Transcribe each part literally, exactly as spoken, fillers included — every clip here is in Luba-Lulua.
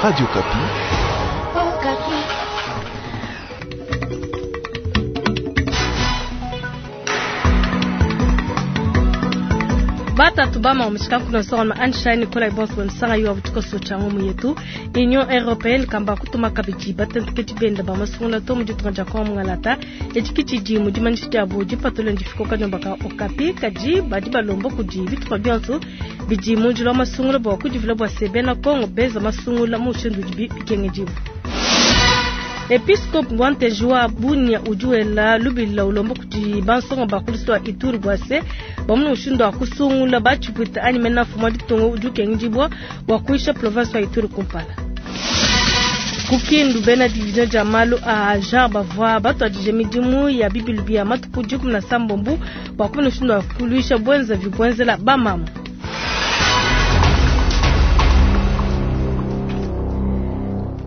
Radio Okapi. Batatu bama wameshika kuna sora ma Einstein kola ibonso msanga yuwa butuko socha mu yetu Union Européenne kamba kutuma kabiji batenteketi benda ba masungula to mu ditunga dia kwa mungalata echiki di mu dimanyishi diabu dipatule ndifiko kanyomba ka Okapi kaji badi balomba kudi bitupa bionso bidi mu njila wa masungula bua kudivula bua se bena Kongo beza masungula mu mushindu udibi bikengedibu. Episcope Wanteji wa Bunia udi wela lubila ulomba kudi bansonga ba kuliso wa Ituri bua se bamuna mushindu wa kusungula batshipwita anyi mena mfumu wa ditunga udi ukengedibua bua kuyisha province wa Ituri kumpala. Ku Kindu bena division dia malu a genre bavua batuadije midimu ya bibilu bia matuku dikumi na sambombo bua kumona mushindu wa kuluisha buenzavi buenzela bamama.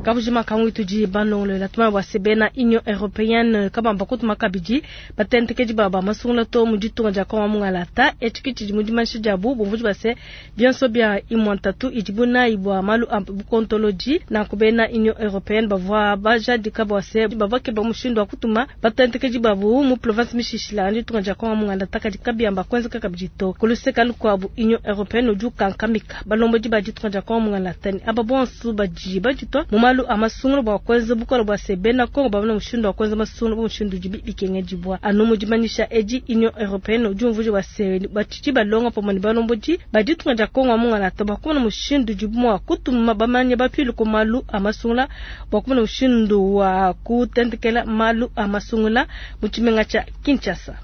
Kabujima kangu tudi balongolola tuma bua se bena Union Européenne kabamba kutuma kabidi batentekedi baba masungula to mu ditunga dia Kongo mungalata etshiki tshidi mu dimanyishi diabu bumvudi bua se bionso bia imwantatu idibu nayi bua malu a bukontoloji nanku bena Union Européenne bavua bajadika bua se bavua keba mushindu wa kutuma batentekedi babu mu province mishishila ditunga dia Kongo mungalata kadi kabiamba kuenzeka kabidi to kuluseka lukuabu Union Européenne udi ukankamika balombodi ba ditunga dia Kongo mungalata ni aba bonso badi baditwa mu malu amasungula bua kuenza bukole bua se bena Kongo bamona mushindu wa kuenza masungula mushindu udibi bikengedibua anu mu dimanyisha edi Union Européenne udi umvuija bua se batshidi balonga pamue ne balombodi ba ditunga dia Kongo mungalata bua kumona mushindu udibu mua kutuma bamanya bapilu ku malu a masungula bua kumona mushindu wa kutentekela malu a masungula mu tshimenga tshia Kinshasa.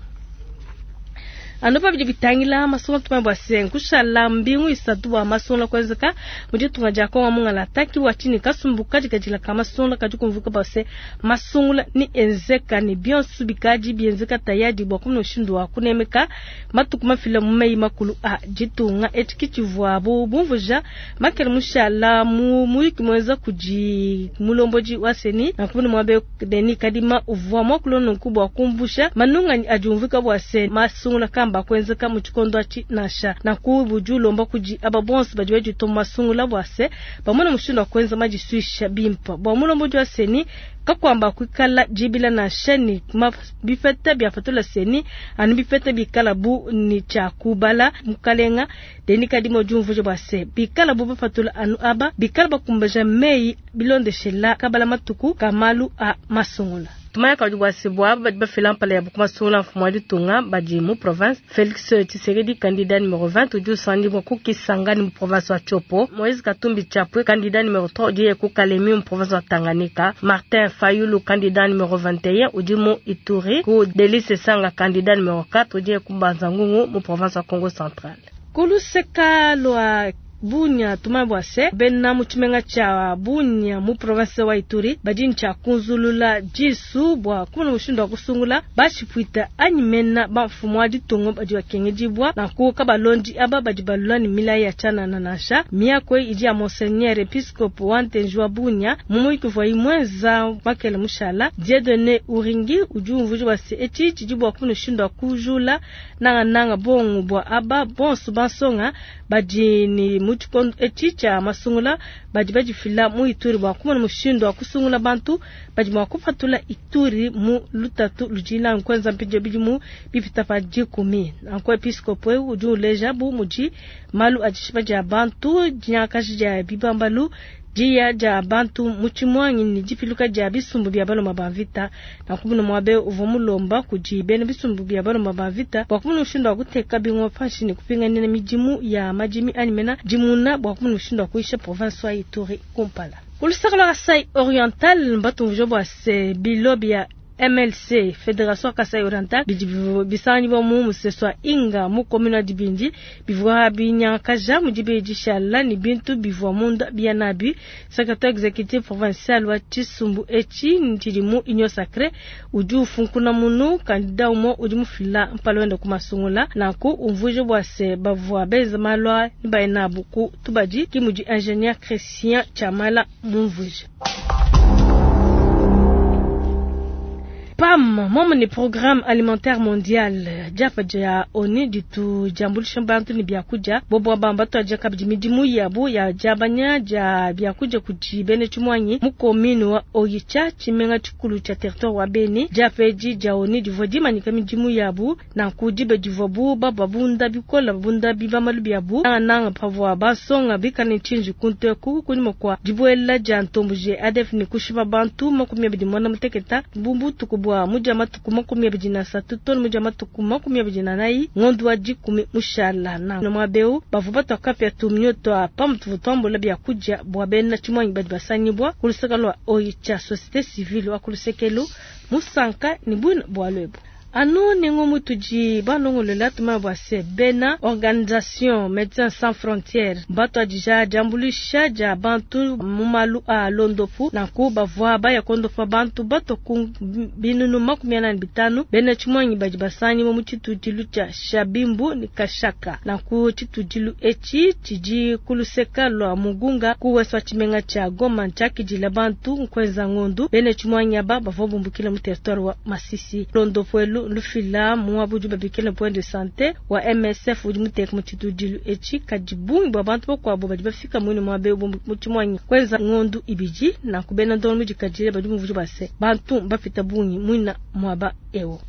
Anu pa bidi bitangila masungula tuma bua se nkushala mbingu isatu bua masungula kuenzeka mu ditunga dia Kongo mungalata ki bua tshini kasumbu kadikadila ka masungula kadi kumvuika bua se masungula ni enzeka ni bionso bikadi bienzeka tayadi bua kumona mushindu wa kunemeka matuku mafila mu meyi makulu a ditunga etshi tshivuabu bumvuja makele mushala mu muyuki muenza kudi mulombodi wa seni nanku muabe Denis Kadima uvua muakula nunku bua kumbusha manunganyi adi umvuika bua se masungula kamba kuenzeka mu tshikondo atshi nansha nanku budi ulomba kudi aba bonso badi badituma masungula bua se bamona mushindu wa kuenza madisuisha bimpa bua mulombodi wa seni kakwamba kuikala dibila nansha ni bipeta bia patula seni anu bipeta bikala bu ni tshia kubala mukalenga Denis Kadima udi umvuija bua se bikala bu bapatula anu aba bikala bakumbaja meyi bilondeshela kabala matuku ka malu a masungula. Tumaya kadi bua se bua badi bafila mpala ya bukumasungula mfumu wa ditunga badi mu province Félix Tshisekedi candidat numéro vingt udi usangibua ku Kisangani mu province wa Tshopo, Moïse Katumbi Chapwe candidat numéro trois udi ku Kalemi mu province wa Tanganyika, Martin Fayulu candidat numéro vingt et un udi mu Ituri, ku Delice Sanga candidat numéro quatre udi ku Mbanza-Ngungu mu province wa Kongo Central. Kuluseka lwa Bunia tuma bua se bena mu tshimenga tshia Bunia mu province wa Ituri badi ntshia kunzulula disu bua kumona mushindu wa kusungula batshipwita anyi mena bamfumu wa ditunga badi bakengedibua nanku kabalondi aba badi balula ne milayi ya tshianana nansha miako idi ya Monseigneur Episcope wa Ntenji wa Bunia mu muyuki uvua muenza makele mushala Dieudonné Uringi udi umvuija bua se etshi tshidi bua kumona mushindu wa kujula nangananga bongo bua aba bonso bansonga badi ni mu tshikondo etshi tshia masungula badi badifila mu Ituri bua kumona mushindu wa kusungula bantu badi mua kupatula Ituri mu lutatu ludi nanku mpindieu bidimu bipita pa dikumi. Nanku episcope udi uleja bu mudi malu a dishipa dia bantu dinyakaji dia bibambalu diya dia bantu mu tshimuangi ne dipiluka dia bisumbu bia baloma ba mvita. Nanku muno muabe uvua mulomba kudi bena bisumbu bia baloma ba mvita bua kumona mushindu wa kuteka bingoma panshi ne kupinganina midimu ya madimi anyi mena dimuna bua kumona mushindu wa kuyisha province wa Ituri kumpala. Kulusaka lwa Kasai Oriental mbatumvuja bua se bilo bia M L C Fédération Kasai Oriental bidi bisangibua mu musesu wa Inga mu commune wa Dibindi bivua binyakaja mu dibedi shala ni bintu bivua munda bia nabi. Secrétaire exécutif provincial wa Tshisumbu etshi ntshidi mu Union Sacrée udi ufunkuna munu candidat umue udi mufila mpala wenda ku masungula nanku umvuije bua se bavua benza malu a ni bainabu ku tubadi ki mudi ingénieur Christian Chamala mumvuije. PAM momu ni Programme Alimentaire Mondial diapa dia ONU ditu diambuluisha bantu ne biakudia bobo bamba tuadia kabidi midimu yabu ya diabanya dia biakudia kudi bena tshimuangi mu commune wa Oicha tshimenga tshikulu tshia territoire wa Beni. Diapa edi dia ONU divua dimanyika midimu yabu nanku diba divuabu bababunda bikola babunda bibamalu biabu nangananga pavua basonga bikale tshinji kunteku kunyima kua dibuela dia ntomboji A D F ne kushipa bantu makumi abidi muanda muteketa butuku bua mudia matuku makumi abidi na asatu tonu mudia matuku makumi abidi na anayi ngondo wa dikumi mushala na mwabeu bavua batoka tumnyo twa pamutu vutombola biakudia bua bena tshimuangi badi basangibwa ku luseke lua Oicha société civile wa ku lusekelu musanka ni bwina bua lwebu. Anu nengo mutudi balongolola tuma bua se bena organisation Médecins Sans Frontières bato adija diambuluisha dia bantu mu malu a londopu nanku bavua baya kondopa bantu bato ku binunu makumi anani bitanu bena tshimuangi badi basangi mu tshitudilu tshia Shabimbu ni Kashaka nanku tshitudilu etshi tshidi kuluseka lua Mugunga ku west tshimenga tshia Goma ntshiakidila bantu nkweza ngondu bena tshimuangi aba bavua bumbukila mu territoire wa Masisi. Londopu elu lufila muabudu babikela point de santé wa M S F udi muteka mu tshitudilu etshi kadi bungi bua bantu bakuabu badi bafika muine muabe mu tshimuangi kwenza ngondu ibidi nanku bena ndono mudikadile badi muvuji base bantu bafita bungi muina muaba ewo.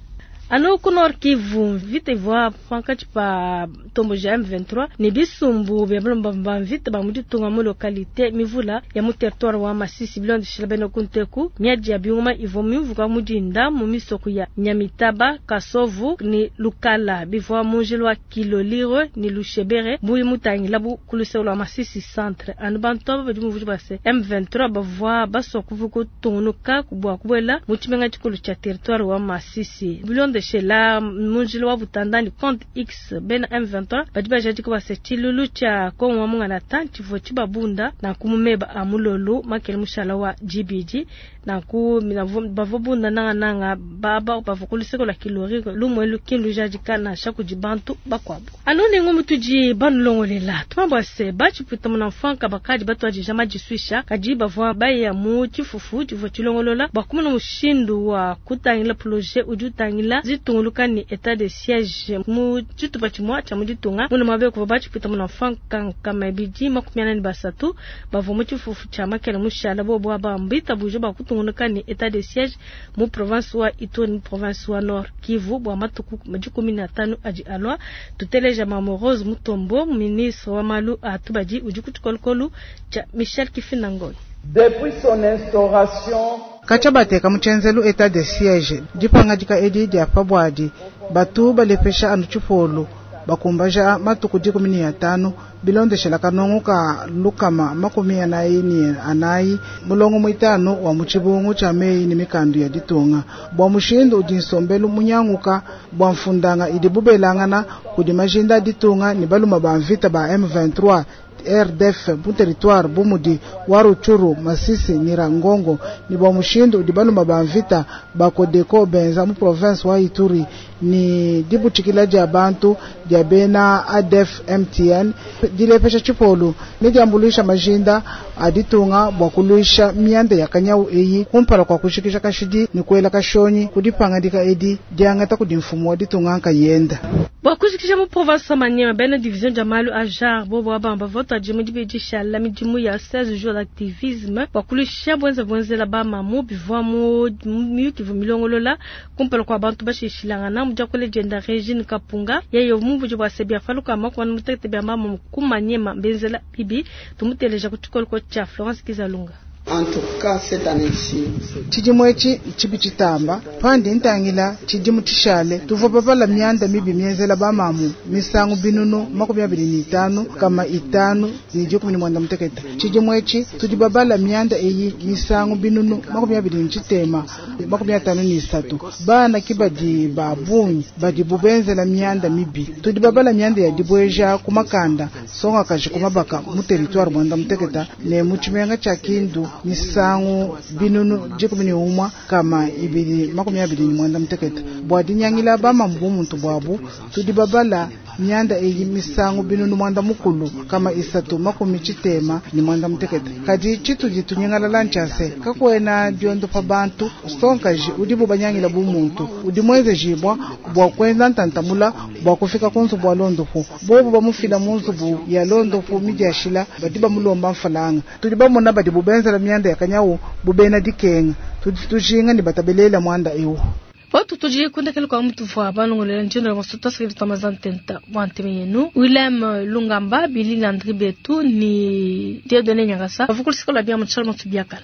Anu ku Nord Kivu vita ivua pankatshi pa ntomboji ya M vingt-trois ne bisumbu bia balomba ba mvita ba mu ditunga mu localité mivula ya mu territoire wa Masisi bilondeshela bena ku nteku miadi ya biuma ivua mivuka mu dinda mu misoko ya Nyamitaba, Kasovu ni Lukala bivua mu njila wa Kilolirwe ni Lushebere buyi mutangila bu ku luseke lua Masisi centre. Anu bantu aba badi muvuji base M vingt-trois bavua basua kuvuka kutungunuka bua kubuela mu tshimenga tshikulu tshia territoire wa Masisi bilondeshela la munjila wa Butandani compte X bena M vingt-trois badi bajadika base tshilulu tshia Kongo wa Mungalata tshivua tshibabunda na kumumeba a mulolo makele mushala wa G B D na ku bavua bunda nanga nanga baba bavua ku luseke lua Kilori lumwe lukindu jadika na shaku di bantu bakuabu. Anu nengo mutudi banulongolela tumabwa se batshiputa muna mfanka bakadi batuadija majiswisha kadi bavua baya mu tshifufu tshivua tshilongolola bua kumona mushindu wa kutangila projet udi utangila zitunguluka ni état de siège mu tshitupa tshimue tshia mu ditunga muna mabe kuvua batshiputa muna mfanka nkama ibidi makumi anani basatu bavua mu tshifufu tshia makele mushala bobo aba mbitabuja bua kutungunuka ni état de siège mu province wa Ituri mu province wa Nord Kivu bua matuku dikumi na tano adi alua. Tuteleja Mama Rose Mutombo ministre wa malu a tubadi udi ku tshikolokolo tshia Michel Kifinangoi. Depuis son instauration, Kacha bateka mu tshenzelu état de siège dipangadika edi dia pabwadi batu balepesha anu tshipolu bakumbaja matuku dikumi ne atanu bilondeshela kanongo ka lukama makumi anayi ne anayi mulongo muitanu wa mu tshibungu tshia meyi ne mikandu ya ditunga bua mushindu udi nsombelu munyanguka bua mfundanga idi bubelangana kudi majinda ditunga ne baluma ba mvita ba M vingt-trois R D F mu territoire bumudi wa Rutshuru, Masisi, Nyiragongo ni bua mushindu udi baluma ba mvita ba Codeco benza mu province wa Ituri ni dibutshikila dia bantu dia bena A D F M T N dilepesha tshipolu ne diambuluisha majinda a ditunga bua kuluisha mianda ya kanyau eyi kumpala kua kushikisha kashidi ne kuela kashonyi kudipangadika edi diangata kudi mfumu wa ditunga nkayenda. Bua kushikisha mu province Maniema bena division dia malu a genre bobo abamba voto adimu dibedisha la midimu ya seize jours d'activisme bua kuluisha bwenza bwenzela ba mamu bivua mu miyuki vu milongolola kumpala kua bantu bashishilangana mu diakule dienda Regine Kapunga yeye mumvuji bua sebia faluka makwana mutekete bia mamu ku Maniema benzela bibi tumuteleja ku tshikoloko tshia Florence Kizalunga. En tout cas, cette année-ci, tshidimu etshi tshibi tshitamba pandi ntangila tshidimu tshishale tuvua babala mianda mibi mienzela bamamu misangu binunu makumi abidi ne itanu kama itanu ne dikumi ne muanda mutekete. Tshidimu etshi tudi babala mianda eyi misangu binunu makumi abidi ne tshitema makumi atanu ne isatu. Bana ki badi ba bungi badi bubenzela mianda mibi tudi babala mianda ya dibueja ku makanda songa kaji ku mabaka mu territoire muanda muteketa ne mu tshimenga tshia Kindu misangu binunu dikumi ne umwa kama ibidi makumi abidi ne muanda mutekete. Bua dinyangila bamamu bu muntu buabu tudi babala Mianda eyi misangu binunu mwanda mukulu kama isatu makumi tshitema ne mwanda mutekete. Kadi tshitudi tunyingalala ntshia se kakuena diondopa bantu nsongakaji udibu banyangila bu muntu udi muenzejibwa bua kuenza ntantamula bua kufika ku nzubu wa londopu bobu bamufila mu nzubu ya londopu midiashila badi bamulomba mfalanga tudi bamona badi bubenzela mianda ya kanyawu bubena dikenga tudi tujinga ne batabelela mwanda ewu. Watu tudi kundekele kwa mtu vwa balongolela njendo la masuta sakili tamazantenta bwa nteme yenu Willem Lungamba Billy Landry Betu ni Dieudonné Nyangasa bavukulisikola bia mutshalo mutsubiakana.